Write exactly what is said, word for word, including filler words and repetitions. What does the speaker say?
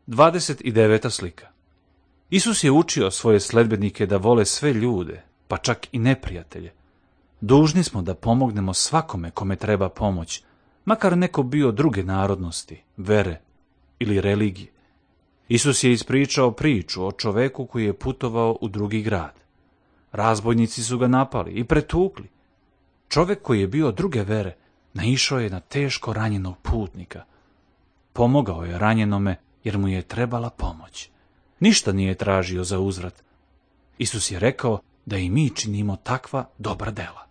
Dvadeset deveta slika. Isus je učio svoje sledbenike da vole sve ljude, pa čak i neprijatelje. Dužni smo da pomognemo svakome kome treba pomoć, makar neko bio druge narodnosti, vere ili religije. Isus je ispričao priču o čoveku koji je putovao u drugi grad. Razbojnici su ga napali i pretukli. Čovek koji je bio druge vere naišao je na teško ranjenog putnika. Pomogao je ranjenome jer mu je trebala pomoć. Ništa nije tražio za uzvrat. Isus je rekao da i mi činimo takva dobra dela.